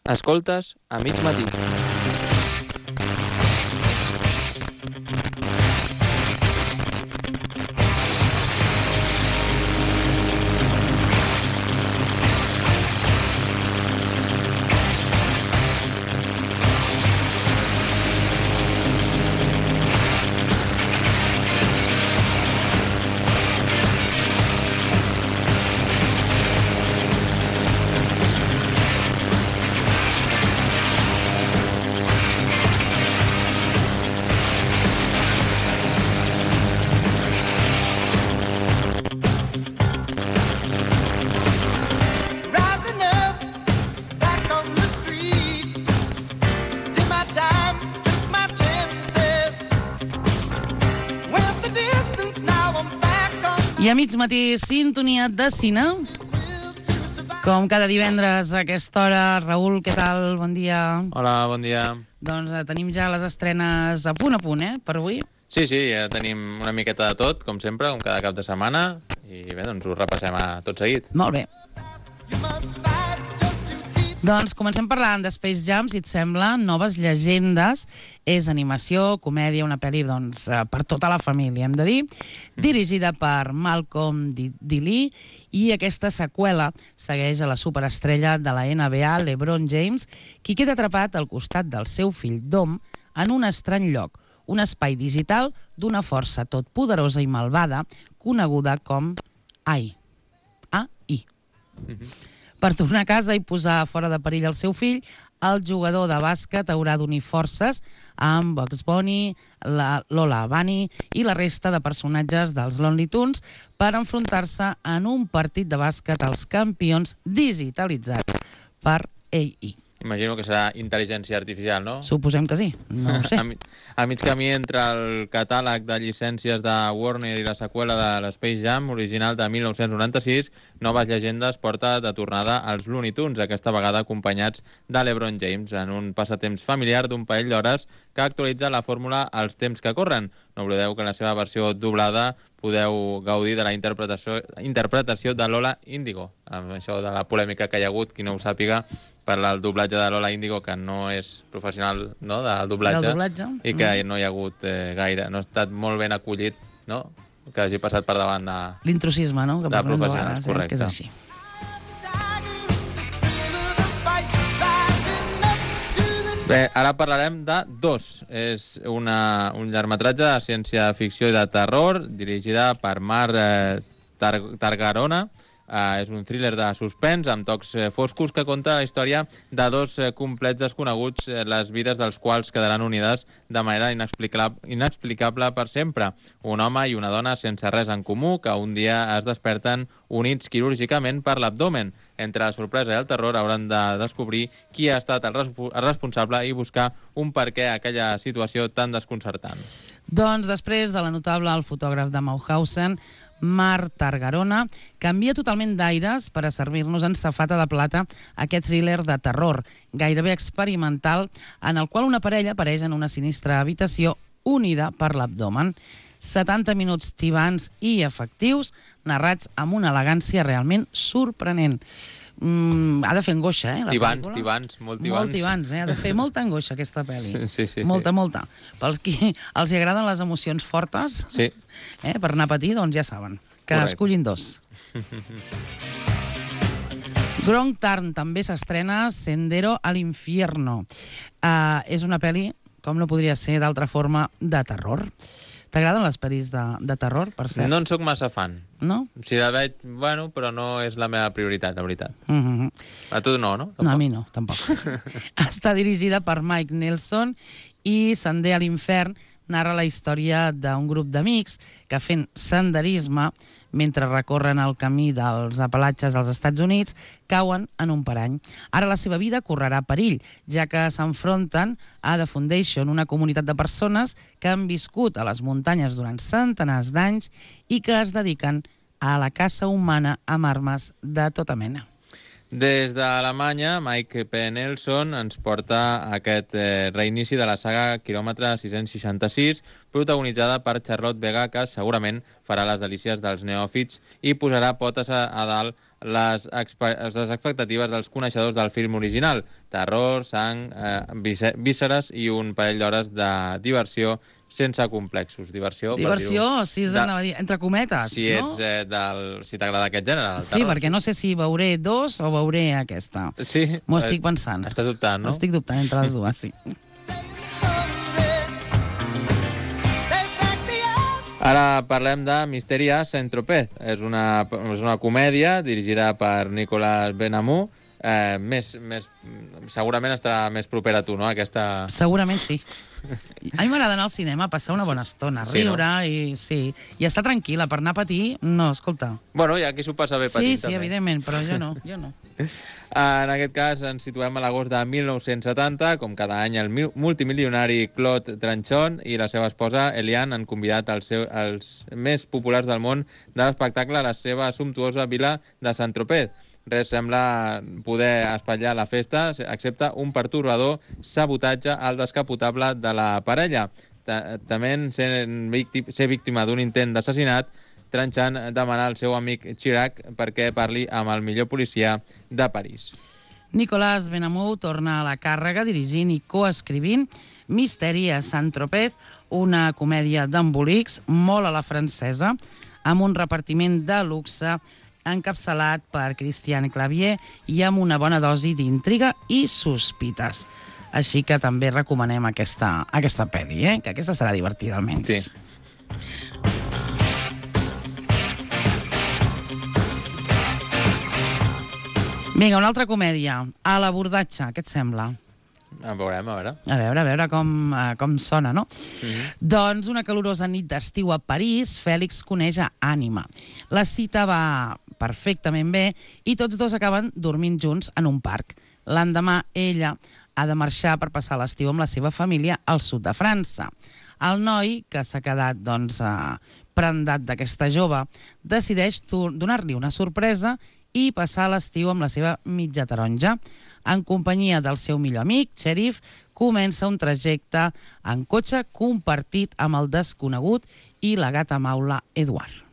Escoltes a mig matí. I a mig matí, sintonia de cine. Com cada divendres a aquesta hora. Raül, què tal? Bon dia. Hola, bon dia. Doncs tenim ja les estrenes a punt, per avui. Sí, ja tenim una miqueta de tot, com sempre, com cada cap de setmana. I bé, doncs ho repassem tot seguit. Molt bé. Doncs comencem parlant de Space Jam, si et sembla, Noves llegendes. És animació, comèdia, una pel·li per tota la família, hem de dir. Dirigida per Malcolm D. Lee, i aquesta seqüela segueix a la superestrella de la NBA, LeBron James, qui queda atrapat al costat del seu fill Dom en un estrany lloc, un espai digital d'una força totpoderosa i malvada coneguda com AI. AI. Per tornar a casa i posar fora de perill el seu fill, el jugador de bàsquet haurà d'unir forces amb Bugs Bunny, Lola Bunny i la resta de personatges dels Looney Tunes per enfrontar-se en un partit de bàsquet als campions digitalitzat per AI. Imagino que serà intel·ligència artificial, no? Suposem que sí, no ho sé. A mig camí entre el catàleg de llicències de Warner i la seqüela de l'Space Jam, original de 1996, Noves llegendes porta de tornada als Looney Tunes, aquesta vegada acompanyats de LeBron James, en un passatemps familiar d'un parell d'hores que actualitza la fórmula als temps que corren. No oblideu que en la seva versió doblada podeu gaudir de la interpretació de Lola Índigo. Amb això de la polèmica que hi ha hagut, qui no ho sàpiga, per al doblatge de Lola Índigo, que no és professional, no?, del doblatge, i que no hi ha hagut gaire, no ha estat molt ben acollit, no?, que hagi passat per davant de... L'intrusisme, no?, que de professionals, correcte. És que és així. Bé, ara parlarem de Dos. És un llargmetratge de ciència-ficció i de terror, dirigida per Mark Targarona. És un thriller de suspens amb tocs foscos que conta la història de dos complets desconeguts, les vides dels quals quedaran unides de manera inexplicable per sempre. Un home i una dona sense res en comú que un dia es desperten units quirúrgicament per l'abdomen. Entre la sorpresa i el terror hauran de descobrir qui ha estat el responsable i buscar un perquè a aquella situació tan desconcertant. Doncs després de la notable El fotògraf de Mauthausen, Mark Targarona canvia totalment d'aires per a servir-nos en safata de plata aquest thriller de terror, gairebé experimental, en el qual una parella apareix en una sinistra habitació unida per l'abdomen. 70 minuts tibants i efectius, narrats amb una elegància realment sorprenent. Ha de fer angoixa, Tibants, molt tibants, ha de fer molta angoixa aquesta pel·li. Sí. Molta. Pels qui els agraden les emocions fortes, sí. Per anar a patir, doncs ja saben, que escollin Dos. Wrong Turn també s'estrena, Sendero al Infierno. És una pel·li, com no podria ser d'altra forma, de terror. T'agraden les pel·lis de terror, per cert? No en soc massa fan. No? Si la veig, bueno, però no és la meva prioritat, la veritat. A tu no, no? Tampoc? No, a mi no, tampoc. Està dirigida per Mike Nelson i Sender a l'Infern narra la història d'un grup d'amics que fent senderisme mentre recorren el camí dels Apalatges als Estats Units, cauen en un parany. Ara la seva vida correrà perill, ja que s'enfronten a The Foundation, una comunitat de persones que han viscut a les muntanyes durant centenars d'anys i que es dediquen a la caça humana amb armes de tota mena. Des d'Alemanya, Mike P. Nelson ens porta aquest reinici de la saga Quilòmetre 666, protagonitzada per Charlotte Vega, que segurament farà les delícies dels neòfits i posarà potes a dalt les expectatives dels coneixedors del film original. Terror, sang, vísceres i un parell d'hores de diversió sense complexos. Diversió sí, anava a dir, entre cometes, si no? Si t'agrada aquest gènere, del Sí, terror. perquè no sé si veuré dos o veuré aquesta. Sí? M'ho estic pensant. Estàs dubtant, no? Estic dubtant entre les dues, sí. Ara parlem de Misteri a Saint-Tropez. És una comèdia dirigida per Nicolas Benamou. Segurament està més propera a tu, no? Aquesta... Segurament sí. A mi m'agrada anar al cinema, passar una bona estona, riure, sí, i estar tranquil·la. Per anar a patir, no, escolta. Bueno, hi ha qui s'ho passa bé patint, també. Sí, evidentment, però jo no. En aquest cas ens situem a l'agost de 1970. Com cada any, el multimilionari Claude Tranchon i la seva esposa Eliane han convidat els més populars del món de l'espectacle a la seva sumptuosa vila de Saint-Tropez. Res sembla poder espatllar la festa, excepte un pertorbador sabotatge al descapotable de la parella. També ser víctima d'un intent d'assassinat, Tranchant demana al seu amic Chirac perquè parli amb el millor policia de París. Nicolas Benamou torna a la càrrega dirigint i coescrivint Misteri a Saint-Tropez, una comèdia d'embolics molt a la francesa, amb un repartiment de luxe encapçalat per Christian Clavier i amb una bona dosi d'intriga i sospites. Així que també recomanem aquesta pel·li, que aquesta serà divertida, almenys. Sí. Vinga, una altra comèdia. A l'abordatge, què et sembla? Veurem, a veure. A veure com sona, no? Doncs una calorosa nit d'estiu a París, Fèlix coneix a Ànima. La cita va perfectament bé i tots dos acaben dormint junts en un parc. L'endemà, ella ha de marxar per passar l'estiu amb la seva família al sud de França. El noi, que s'ha quedat prendat d'aquesta jove, decideix donar-li una sorpresa i passar l'estiu amb la seva mitja taronja. En companyia del seu millor amic, Sheriff, comença un trajecte en cotxe compartit amb el desconegut i la gata maula Eduard.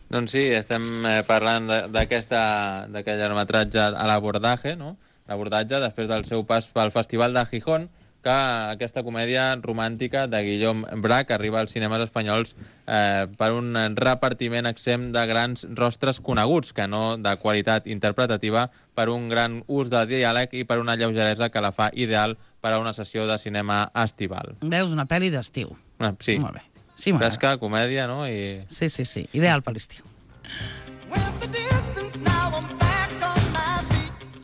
Doncs sí, estem parlant d'aquest llargmetratge a l'abordatge, no? L'abordatge, després del seu pas pel Festival de Gijón, que aquesta comèdia romàntica de Guillaume Brac arriba als cinemes espanyols per un repartiment exempt de grans rostres coneguts, que no de qualitat interpretativa, per un gran ús de diàleg i per una lleugeresa que la fa ideal per a una sessió de cinema estival. Veus, una pel·li d'estiu. Sí. Molt bé. Sí, fresca, comèdia, no? Sí. Ideal per l'estiu.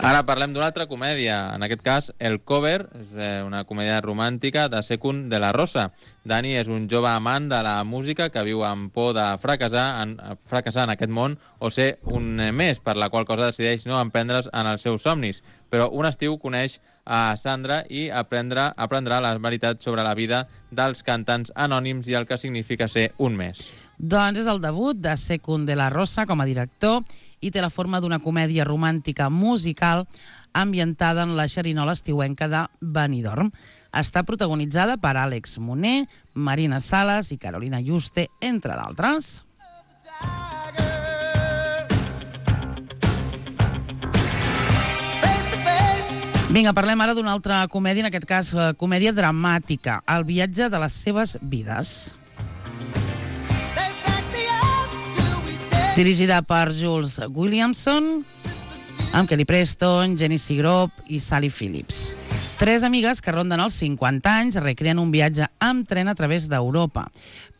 Ara parlem d'una altra comèdia, en aquest cas El Cover, és una comèdia romàntica de Secund de la Rosa. Dani és un jove amant de la música que viu amb por de fracassar en aquest món o ser un més, per la qual cosa decideix no emprendre's en els seus somnis. Però un estiu coneix a Sandra i aprendrà la veritat sobre la vida dels cantants anònims i el que significa ser un més. Doncs és el debut de Secund de la Rosa com a director i té la forma d'una comèdia romàntica musical ambientada en la xerinola estiuenca de Benidorm. Està protagonitzada per Àlex Moner, Marina Sales i Carolina Juste, entre d'altres. Vinga, parlem ara d'una altra comèdia, en aquest cas comèdia dramàtica, El viatge de les seves vides. Dirigida per Jules Williamson, amb Kelly Preston, Jenny Seagrove i Sally Phillips. Tres amigues que ronden els 50 anys recreen un viatge amb tren a través d'Europa.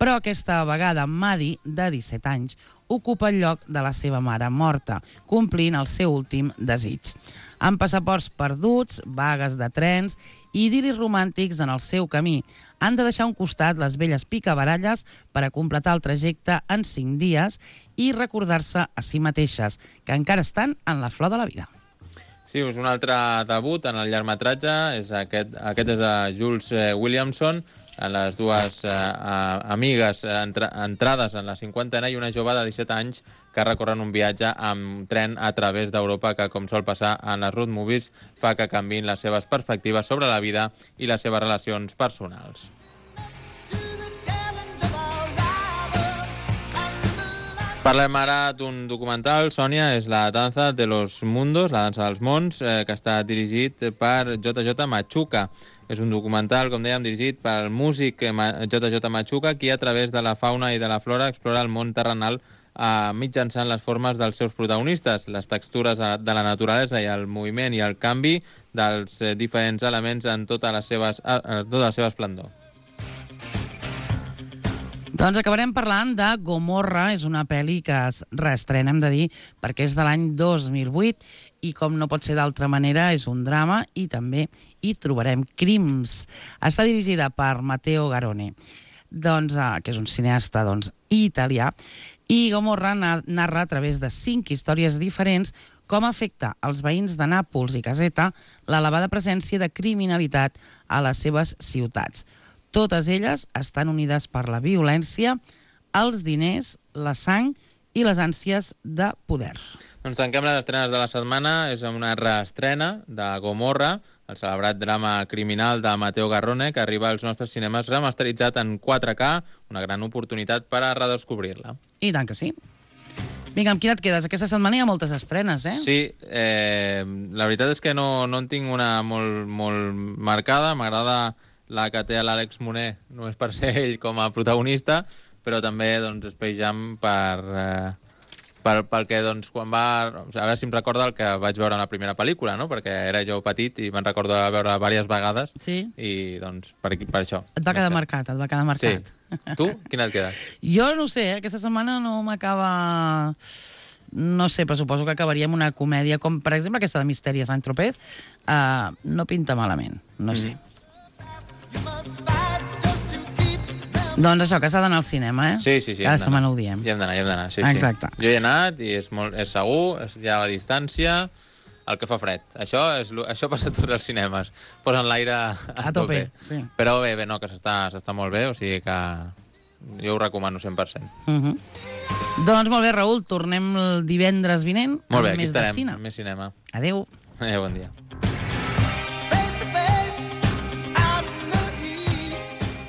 Però aquesta vegada Maddie, de 17 anys, ocupa el lloc de la seva mare morta, complint el seu últim desig. Amb passaports perduts, vagues de trens i idil·lis romàntics en el seu camí, han de deixar a un costat les velles picabaralles per a completar el trajecte en 5 dies i recordar-se a si mateixes, que encara estan en la flor de la vida. Sí, és un altre debut en el llargmetratge. Aquest és de Jules Williamson, les dues amigues entrades en la cinquantena i una jove de 17 anys que recorren un viatge amb tren a través d'Europa que, com sol passar en les road movies, fa que canviïn les seves perspectives sobre la vida i les seves relacions personals. Parlem ara d'un documental, Sònia, és La danza de los mundos, la dansa dels mons, que està dirigit per JJ Machuca. És un documental, com dèiem, dirigit pel músic JJ Machuca, qui a través de la fauna i de la flora explora el món terrenal mitjançant les formes dels seus protagonistes, les textures de la naturalesa i el moviment i el canvi dels diferents elements en tota la seva esplendor. Doncs acabarem parlant de Gomorra, és una pel·li que es reestrena, hem de dir, perquè és de l'any 2008 i com no pot ser d'altra manera és un drama i també hi trobarem crims. Està dirigida per Matteo Garrone, que és un cineasta italià, i Gomorra narra a través de 5 històries diferents com afecta als veïns de Nàpols i Caseta l'elevada presència de criminalitat a les seves ciutats. Totes elles estan unides per la violència, els diners, la sang i les ànsies de poder. Doncs tanquem les estrenes de la setmana. És una reestrena de Gomorra, el celebrat drama criminal de Matteo Garrone, que arriba als nostres cinemes remasteritzat en 4K, una gran oportunitat per a redescobrir-la. I tant que sí. Vinga, amb quina et quedes? Aquesta setmana hi ha moltes estrenes, eh? Sí, la veritat és que no en tinc una molt marcada. M'agrada la que té l'Àlex Moner, només per ser ell com a protagonista, però també Space Jam pel que quan va... A veure si em recorda el que vaig veure en la primera pel·lícula, no? Perquè era jo petit i me'n recordo de veure diverses vegades. Sí. I per això. Et va quedar marcat. Sí. Tu? Quina et queda? Jo no sé, aquesta setmana no m'acaba... No sé, però suposo que acabaria amb una comèdia com, per exemple, aquesta de Misteri a Saint-Tropez. No pinta malament, no sé. Doncs això, que s'ha d'anar al cinema, eh? Sí. Cada setmana ho diem. Hi hem d'anar, sí. Exacte. Jo hi he anat i és segur, hi ha la distància, el que fa fred. Això passa a tots els cinemes. Posen l'aire a tope. Sí. Però bé, no, que s'està molt bé, o sigui que jo ho recomano 100%. Doncs molt bé, Raül, tornem el divendres vinent molt bé, amb aquí més de estarem, cine. més cinema. Adéu. Bon dia.